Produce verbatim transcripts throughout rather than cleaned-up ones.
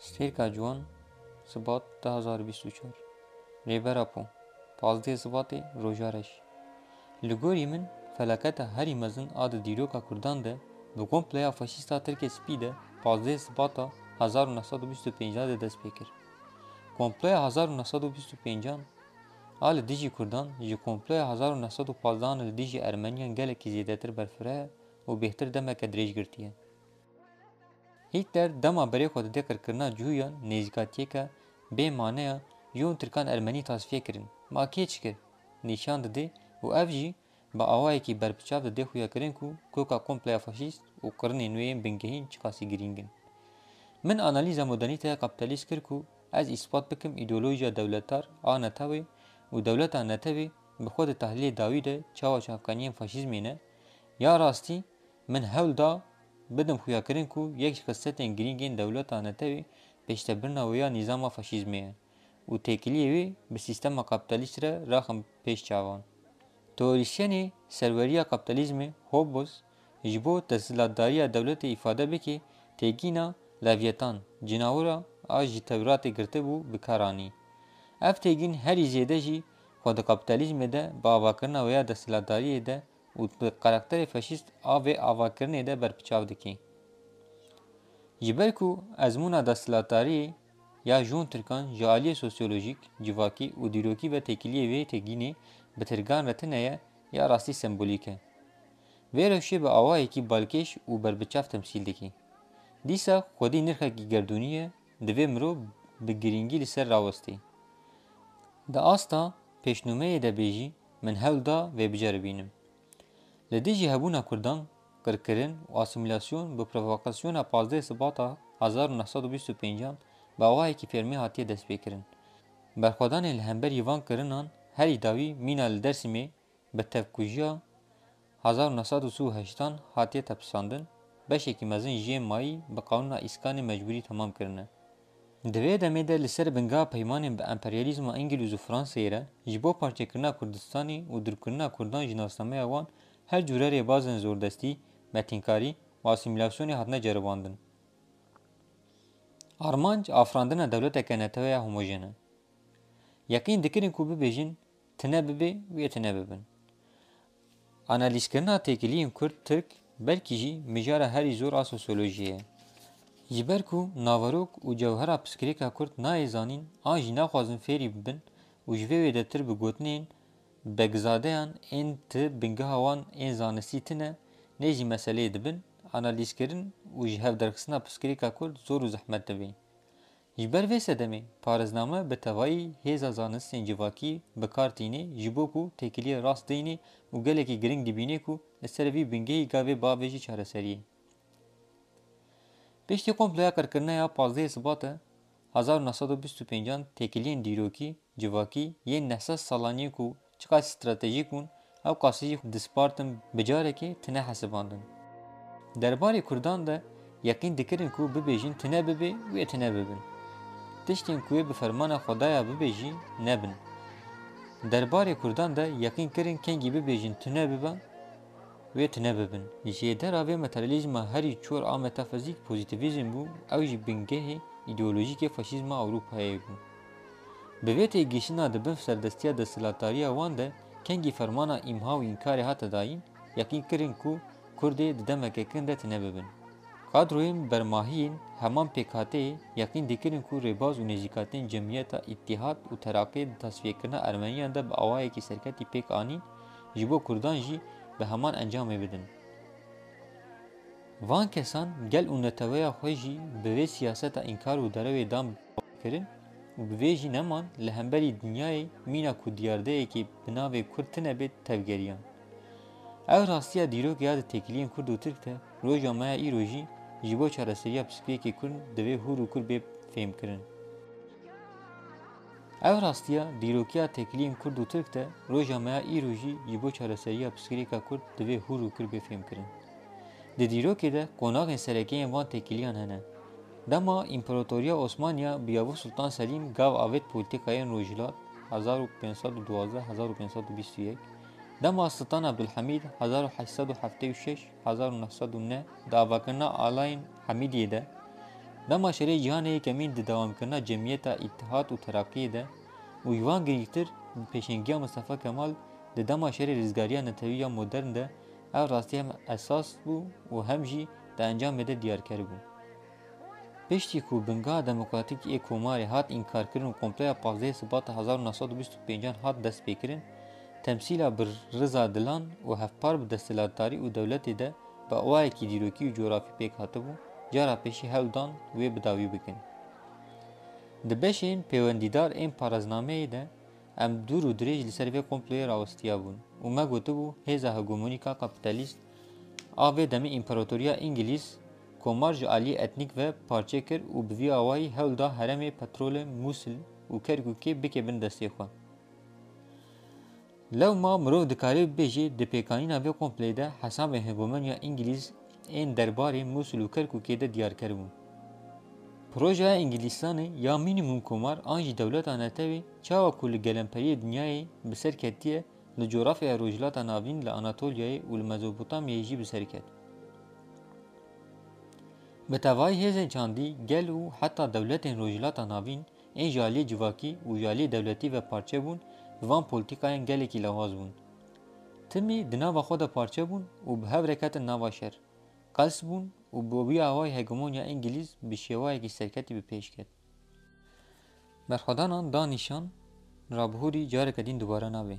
Stêrka Ciwan, Sibat du hazar û bîst û çar. Rêber Apo, pazdeh Sibatê, roja reş. Li gorî min, felaketa herî mezin a di dîroka Kurdan de, bi komploya faşîsta Tirkê Spî de pazdeh Sibata hezar û neh sed û bîst û pênc de dest pê kir. Komploya hezar û neh sed û bîst û pênc a li dijî Kurdan ji komploya hezar û neh sed û pazdeh an li dijî Ermeniyan gelekî zêdetir berfireh e û bêhtir demeke dirêj girtiye. Hitler dema berê xwe didê qirkirina cihûyan, nêzîkatiyeke bê maneya ji hûn Tirkan Ermenî tasfiye kirin. Ma kê çi kir? Nîşan didê û ev jî bi awayekî berbiçav didê xuyakirin ku koka kompleya faşîst û kirinên wê yên bingehîn çiqasî girîng in. Min analîza modernîteya kapîtalîst kir ku ez îspat bikim îdeolojiya dewletar a netewê û dewleta netewê bi xwe di tehlîlê dawî de çawa çavkaniyên faşîzmê ne, ya rastî Min hewl da bidim xuyakirin ku yek ji xisletên girîng ên dewleta netewê pêştebirina wê ya nîzama faşîzmê ye û têkiliyê wê bi sîstema kapîtalîst re raxim pêş çavan. Teorîsyenê serweriya kapîtalîzmê Hobbes ji bo desthilatdariya dewletê îfade bike têgîna Levyetan, cinawira a ji Tewratê girtibû, bi kar anî. Ev têgîn herî zêde jî xwe di kapîtalîzmê de bi avakirina wê ya desthilatdariyê de û di karakterê faşîst a vê avakirinê de berbiçav dike. Ji ber ku ezmûna desthilatdariyê ya ji hûn Tirkan ji aliyê sosyolojîk, civakî û dîrokî ve têkiliyê vê têgînê bi tirkan re tune ye, ya rastî sembolîk e. Vê rewşê bi awayekî balkêş û berbiçav temsîl dike. Dîsa xwedî nirxekî gerdûnî ye, divê mirov bi girîngî li ser rawestê. Di asta pêşnûmeyê de bê jî, min hewl da vê biceribînim. Li dijî hebûna Kurdan, qirkirin û asîmîlasyon bi provokasyona pazdeh Sibata hezar û neh sed û bîst û pêncan bi awayekî fermî hatiye destpêkirin. Berxwedanên li hemberî van kirinan herî dawî mîna li Dêrsimê bi tevkujiya hezar û neh sed û sî û heştan hatiye tepisandin, beşekî mezin jê mayî bi qanûna îskanê mecbûrî temam kirine. Di vê demê de li ser bingeha peymanên bi emperyalîzma Îngilîz û Fransayê re ji bo parçekirina Kurdistanê û dûrkirina Kurdan ji nasnameya wan her cûre rêbazên zordestî, metînkarî û asîmîlasyonê hatine ceribandin. Armanc afirandina dewleteke neteweya homojen e. Yeqîn dikirin ku bibêjin, tune bibe wê tune bibin. Analîzkirina têkiliyên Kurd-Tirk belkî jî mijara herî zor a sosyolojiyê ye. Ji ber ku naverok û cewhera pirsgirêka Kurd nayê zanîn an jî naxwazin fêrî bibin û ji vê wêdetir bi gotinên begzadeyan ên ti bingeha wan ên zanistî tune nêzî meseleyê dibin, analîzkirin û ji hevderxistina pirsgirêka Kurd zor û zehmet dibê. Ji ber vê sedemê, parêzname bi tevayî hêza zanistên civakî bi kar tîne ji bo ku têkiliyê rast deyne û gelekî giring dibîne ku li ser vî bingehî gavê biavêje çareseriyê. Piştî komploya qirkirina ya pazdehê Sibatê hezar û neh sed û bîst û pêncan têkiliyên dîrokî, civakî yên neh sed salan yên ku çiqas stratejîk bûn, ew qasî jî dispartin, bi carekê tune hesibandin. Derbarê Kurdan de yeqîn dikirin ku bibêjin tune bibe wê tune bibin. Tiştên ku wê bi fermana Xwedaya bibe jî nebin. Derbarê Kurdan de yeqîn kirin kengî bibêjin tune bibe wê tune bibin. Jêdera vê materyalîzma herî çor a metafizîk pozîtîvîzm bû, ew jî bingehê îdeolojîkê faşîzma Ewropayê bû. Bi vê têgihiştina di bin serdestiya desthilatdariya wan de kengî fermana îmha û înkarê hate dayîn, yeqîn kirin ku Kurdê di demeke kin de tune bibin. Kadroyên bermahiyên heman pêkhateyê yeqîn dikirin ku rêbaz û nêzîkatiyên Cemiyeta Îtîhad û Teraqiyê di tasfiyekirina Ermeniyan de bi awayekî serketî pêk anîn, ji bo Kurdan jî bi heman encamê bidin. Van kesan gel û neteweya xwe jî bi vê siyaseta înkar û derewê dan kirin û bi vê jî neman li hemberî dinyayê mîna ku diyardeyekê bi navê Kurd tine bê tevgeriyan. Ev rastiya dîrokê ya di têkiliyên Kurd û Tirk de roja me ya îro jî ji bo çareseriya pirsgirêkê Kurd divê hûr û kur bê fêmkirin. Ev rastiya dîrokiya têkiliyên Kurd û Tirk de roja me ya îro jî ji bo çareseriya pirsgirêka Kurd divê hûr û kur bê fêmkirin. Di dîrokê de qonaxên sereke yên van têkiliyan hene. Dema Împaratoriya Osmaniya bi Yavuz Sultan Selîm gav avêt polîtîkayên Rojhilat, hezar û pênc sed û duwazdeh hezar û pênc sed û bîst û yek, dema Sultan Abdulhamîd, hezar û heşt sed û heftê û şeş hezar û neh sed û neh, di avakirina alayên Hamîdiyê de, Dema şerê cîhanê yekemîn di dewamkirina cemiyeta Îtîhad û Terakiyê de û ji wan girîngtir bi pêşengiya Mistefa Kemal di dema şerê rizgariya netewî ya modern de ev rastî hem esas bû û hem jî di encamê de diyarker bû. Piştî ku bingeha demokratîk ê komarê hat înkarkirin û komploya pazdehê Sibata hezar û neh sed û bîst û pêncan hat destpêkirin, temsîla bi riza dilan û hevpar bi desthilatdarî û dewletê de bi awayekî dîrokî û cografî pêk hatibû, cara pêşî hewl dan wê bi dawî bikin. Di beşên pêwendîdar ên pareznameyê de em dûr û dirêj li ser vê komployê rawestiyabûn û me gotibû, hêza hegemonîk a kapîtalîst a vê demê împaratoriya Îngilîz komar ji aliyê etnîk ve parçe kir û bi vî awayî hewl da herêmê petrolê Mûsil û Kerkûkê bike bin destê xwe. Lewma mirov dikare bibêje di pêkanîna vê komployê de hesabên hegemoniya Îngilîz ên derbarê Mûsil û Kerkûkê de diyarker bûn. Projeya Îngilîstanê ya mînîmûm komar an jî dewleta netewê çawa ku li gelemperiyê dinyayê bi ser ketiye, li cografyaya Rojhilata Navîn, li Anatolyayê û li Mezopotamyayê jî bi ser ket. Bi tevayî hêzên çandî, gel û heta dewletên Rojhilata Navîn ên ji aliyê civakî û ji aliyê dewletî ve parçe bûn, bi van polîtîkayan gelekî lawaz bûn. Timî di nava xwe de parçe bûn û bi hev re ketin nava şer. Qels bûn û bi wî awayî hegemonya Îngilîz bi şêwayekî serketî bi pêş ket. Berxwedanan da nîşan, rabihûrî careke din dubare nabe.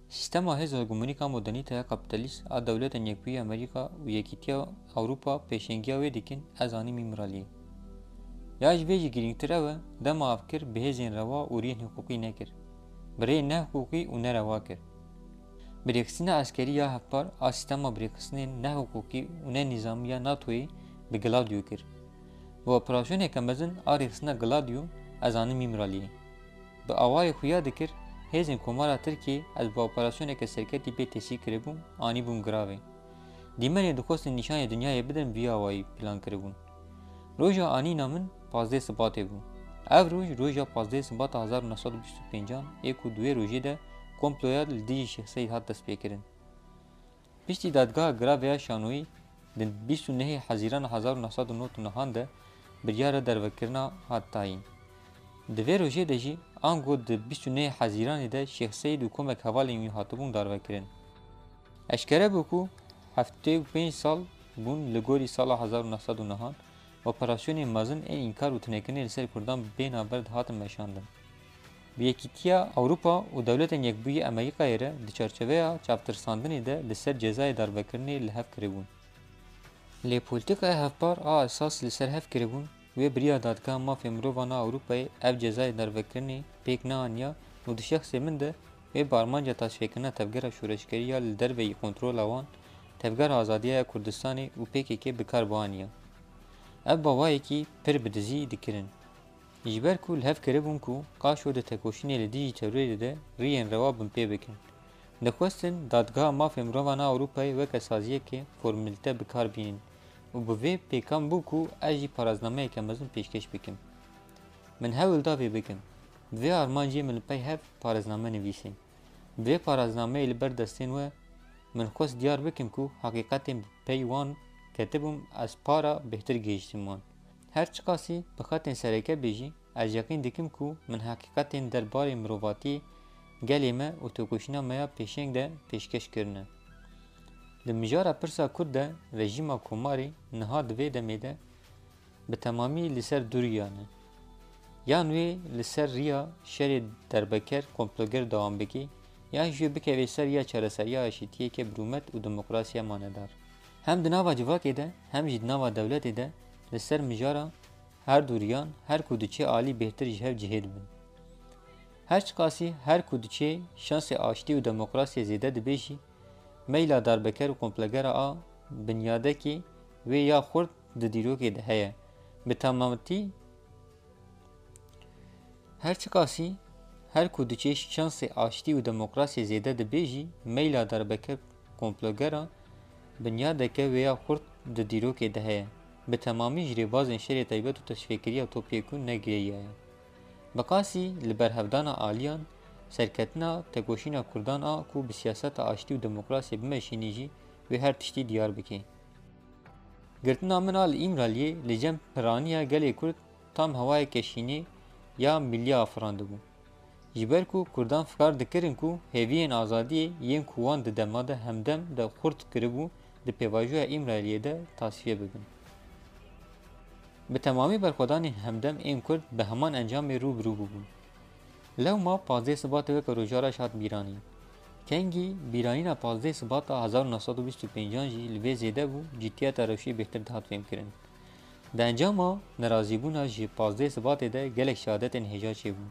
Sîstema hêz û hegemonîk a modernîteya kapîtalîst a Dewletên Yekbûyî Amerîka û Yekîtiya Ewropa pêşengiya wê dikin, ez anîm Îmraliyê. Ya ji vê jî girîngtir ew e, dema ev kir bi hêzên rewa û riyên hiqûqî nekir. Bi rêyên nehiqûqî û nerewa kir. Birêxistina eskerî ya hevpar a sîstema birêxistinên nehiqûqî û nenîzamî ya NATOyê bi Gladio kir. Bi operasyoneke mezin a rêxistina Gladio ez anîm Îmraliyê. Bi awayê xuya dikir, hêzên Komara Tirkiyê ez bi operasyoneke serketî pê tesîr kiribûm, anîbûm giravê. Dîmenê dixwestin nîşanê dinyayê bidin vî awayî plan kiribûn. Roja anîna min pazdeh Sibatê bû. Ev roj, roja pazdeh Sibata hezar û neh sed û bîst û pêncan ê ku di wê rojê de komploya li dijî Şêx Seîd hat destpêkirin. Piştî dadgeha giravê ya şanoyî di bîst û nehê Hezîrana hezar û neh sed û nod û nehan de biryara dervekirina hat tayîn. Di vê rojê de jî ango di bîst û nehê Hezîranê de Şêx Seîd û komek hevalên wî hatibûn darvekirin. Eşkere bû ku heftê û pênc sal bûn li gorî sala hezar û neh sed û nehan operasyonên mezin ên înkar û tunekirinê li ser Kurdan bê navber dihatin meşandin. Bi Yekîtiya Ewropa û Dewletên Yekbûyî Amerîkayê re di çarçoveya çavtirsandinê de li ser cezayê darvekirinê li hev kiribûn. Lê polîtîkaya hevpar a esas li ser hev kiribûn, wê bi riya Dadgeha Mafê Mirovan a Ewropayê ev cezayê darvekirinê pêk neaniya û di şexsê min de wê bi armanca taşfêkirina tevgera şoreşgerî ya li derveyî kontrola wan, Tevgera Azadiya ya Kurdistanê û P K K bi kar bianiya. Ev bi awayekî pir bi dizî dikirin. Ji ber ku li hev kiribûn ku qaşo di tekoşînê li dijî terorê de riyên rewa binpê bikin. Dixwestin Dadgeha Mafê Mirovan a Ewropayê weke saziyeke formîlîte bi kar bînin û bi vê pêkan bû ku ez jî paraznameyeke mezin pêşkêş bikim. Min hewl da vê bikim. Bi vê armancê min li pey hev parazname nivîsîn. Bi vê paraznameyê li ber destên we min xwest diyar bikim ku heqîqetên bi pey wan ketibûm, ez para bêhtir gihîştim wan. Her çiqasî bi xetên sereke bê jî, ez yeqîn dikim ku min heqîqetên derbarê mirovatiyê gelê me û tekoşîna me ya pêşeng de pêşkêş kirine. Di mijara pirsa Kurd de rejîma Komarê niha di vê demê de bi temamî li ser du riya ne. Yan wê li ser riya şerê derbeker, komploger dewam bike, yan jî wê bikeve ser ya çareseriya aşîtiyeke bi rûmet û demokrasiya manedar. Hem di nava civakê de, hem jî di nava dewletê de li ser mijara her du riyan her ku diçe alî bêhtir ji hev cihê dibin. Her çiqasî her ku diçe şansê aştî û demokrasiyê zêde dibe jî, meyla darbeker û komplogera a binyadekê wê ya xurt di dîrokê de heye. Bi temamtî, her çiqasî her ku diçe şansê aştî û demokrasiyê zêde dibe jî, meyla darbeker, komplogera binyadeke wê ya xurt di dîrokê de heye. Bi temamî ji rêbazên şerê taybet û teşvîqkiriya topyekûn negiriyaye. Bi qasî li berhevdana aliyan, serketina tekoşîna Kurdan a ku bi siyaseta aştî û demokrasiyê bimeşînî jî wê her tiştî diyar bike. Girtina min a li Îmraliyê li cem piraniya gelê Kurd tam hewayeke şînê ya millî afirandibû. Ji ber ku Kurdan fikar dikirin ku hêviyên azadiyê yên ku wan di dema de Hemdem de xurt kiribû, di pêvajoya Îmraliyê de tasfiye bibin. Bi temamî berxwedanên Hemdem ên Kurd bi heman encamê rû bi rû bûbûn. Lewma pazdeh Sibatê weke rojaraş hat bîranîn. Kengî bîranîna pazdeh Sibata hezar û neh sed û bîst û pêncan jî li vê zêde bû, cîtiyeta rewşê bêhtir dihat fêmkirin. Di encama nerazîbûna ji pazdeh Sibatê de gelek şehadetên hêja çêbûn.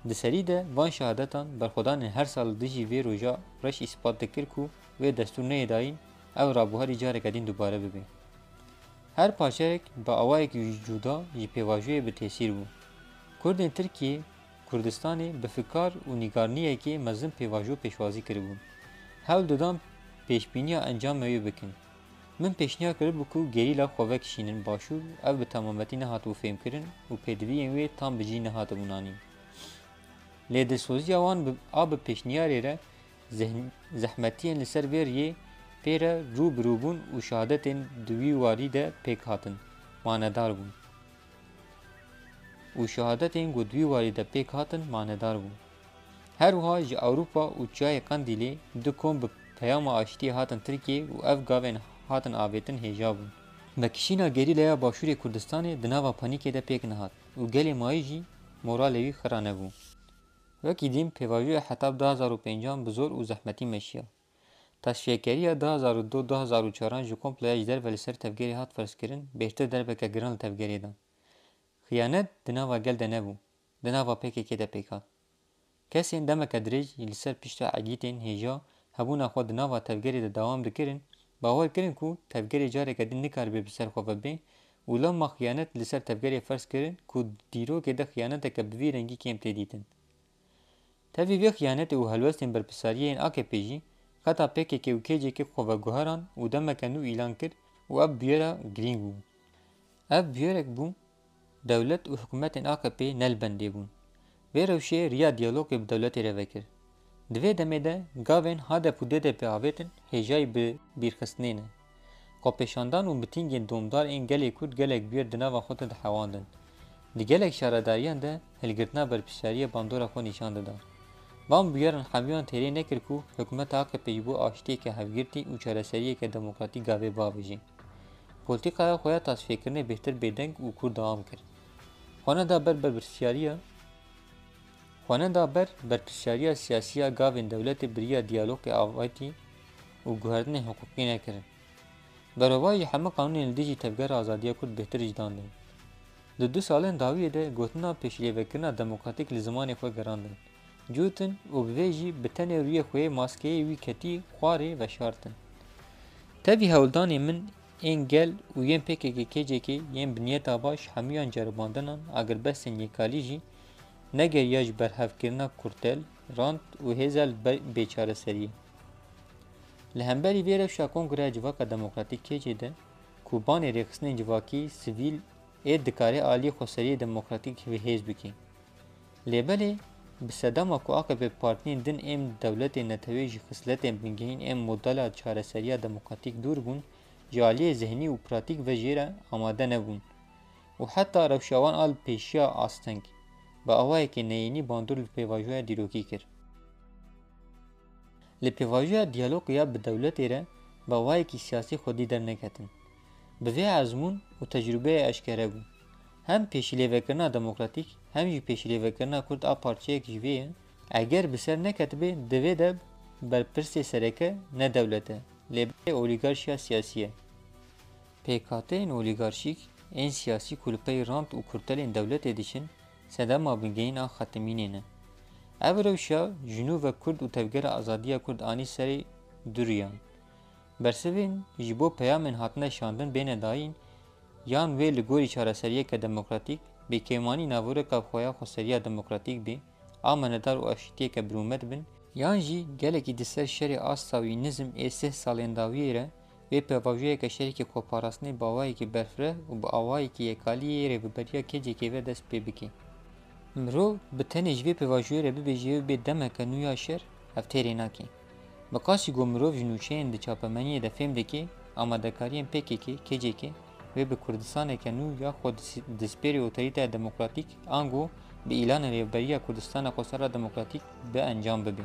Di serî de van şehadetan berxwedanên her sal li dijî vê roja reş îspat dikir ku wê destûr neyê dayîn ew rabuherî careke din dubare bibe. Her parçeyek bi awayekî cuda ji pêvajoyê bi tesîr bû. Kurdên Tirkiyê, Kurdistanê bi fikar û nîgariniyekê mezin pêvajo pêşwazî kiribûn. Hewl didan pêşbîniya encamê wê bikin. Min pêşniyar kiribû ku gerîla xwe vekişînin başûr, ev bi temametî nehatibû fêmkirin û pêdiviyên wê tam bi cî nehatibûn anîn. Lê dilsoziya wan bi, a bi pêşniyarê re zeh-, zehmetiyên li ser vê riyê pê re rû bi rû bûn û şehadetên di wî warî de pêk hatin, manedar bûn. Û şehadetên ku di wî warî de pêk hatin, manedar bûn. Her wiha ji Ewropa û Çiyayê Qendîlê du kom bi peyama aştiyê hatin Tirkiyê û ev gavên hatin avêtin hêja bûn. Vekişîna gerîlaya Başûrê Kurdistanê di nava panîkê de pêk nehat û gelê mayî jî moralê wî xira nebû. Wekî dîm pêvajoya Hetab du hazar û pêncan bi zor û zehmetî meşiya. Tasfiyekeriya du hazar û du du hazar û çaran ji komploya ji derve li ser tevgerê hat ferzkirin, bêhtir derbeke giran li tevgerê da. Xiyanet di nava gel de nebû, di nava P K K de pêk hat. Kesên demeke dirêj li ser pişta egîtên hêja hebûna xwe di nava tevgerê de dewam dikirin, bawer kirin ku tevgerê careke din nikaribe bi ser xwe ve bê û lewma xiyanet li ser tevgerê ferz kirin ku di dîrokê de xiyaneteke bi vî rengî kêm tê dîtin. Tevî vê xiyanetê û helwestên berpirsariyê yên A K P jî xeta P K K û K C K xwe veguheran û demeke nû îlan kir û ev bûyera girîng bû. Ev bûyerek bû, dewlet û hikûmetên A K P ne li bendê bûn. Vê rewşê riya diyalogê bi dewletê re vekir. Di vê demê de gavên H D P û D D P avêtin hêjayî bi bîrxistinê ne. Xwepêşandan û mitîngên domdar ên gelê Kurd gelek bûyer di nava xwe de dihewandin. Di gelek şaredariyan de hilgirtina berpirsiyariyê bandora xwe nîşan dida. Van bûyeran hemiyan têrê nekir ku hikûmeta A K P ji bo aştiyeke hevgirtî û çareseriyeke demokratîk gavê biavêje. Polîtîkaya xwe ya tasfiyekirine bêhtir bêdeng û kûr dewam kir. Xwe neda ber berpirsiyariya, xwe neda ber berpirsiyariya siyasî ya gavên dewletê bi riya diyalogê avêtî û guhertinên hiqûqî nekirin. Berovajî hemû qanûnên li dijî tevgera azadiya Kurd bêhtir ji dan dên. Di du salên dawiyê de gotina pêşîlêvekirina demokratîk li zimanê xwe gerandin, cûtin û bi vê jî bi tenê rûyê xwe yê maskeyê wî ketî xwarê veşartin. Tevî hewldanê min ên gel û yên P K K K C K yên bi niyeta baş hemûyan ceribandinan agirbestên yêkalî jî negeriya ji berhevkirina kurtel, rant û hêza li ber bêçareseriyê. Li hemberî vê rewşa Kongreya Civaka Demokratîk K C de ku banê rêxistinên civakî, sivîl ê dikare aliyê xweseriyê demokratîk bi hêz bike. Lê belê, bi sedema ku A K P partiyên din ên dewletê netewê ji xisletên bingehîn ên modela çareseriya demokratîk dûr bûn, ji aliyê zihnî û pratîk ve jê re amade nebûn û heta rewşa wan a li pêşiya asteng, bi awayekî neyênî bandor li pêvajoya dîrokî kir. Li pêvajoya diyalogê ya bi dewletê re bi awayekî siyasî xwedî derneketin. Bi vê ezmûn û tecrûbeyê eşkere bû. Hem pêşîlêvekirina demokratîk, hem jî pêşîlêvekirina Kurd a parçeyek ji vê ye. Eger bi ser neketibê, di vê de berpirsê sereke ne dewlet e, lê belê olîgarşiya siyasî ye. Pêkhateyên olîgarşîk ên siyasî ku li pey rant û kurtelên dewletê diçin, sedema bingehîn a xetimînê ne. Ev rewşa ji nû ve Kurd û tevgera azadiya Kurd anî serê du riyan. Bersivên ji bo peyamên hatine şandin bêne dayîn, yan wê li gorî çareseriyeke demokratîk, bêkêmanî navoreka xwe ya xweseriya demokratîk bê, amanedar û aşîtiyeke birûmet bin, yan jî gelekî di ser şerê asta wî nizm ê sih salên dawiyê re, wê pêvajoyeke şerîkê xweparastinê bi awayekî berfireh û bi awayekî yekalî yê Rêveberiya K C K ve dest pê bike. Mirov bi tenê ji vê pêvajoyê re bibêje ew bê demeke nû ya şer, ev têrê nake. Bi qasî ku mirov ji nûçeyên di çapemeniyê de fêm dike, amadekariyên P K K, K C K wê bi Kurdistaneke nû ya xwe dis- dispêrê otorîteya demokratîk ango bi îlana Rêveberiya Kurdistana Xwesera Demokratîk bi encam bibe.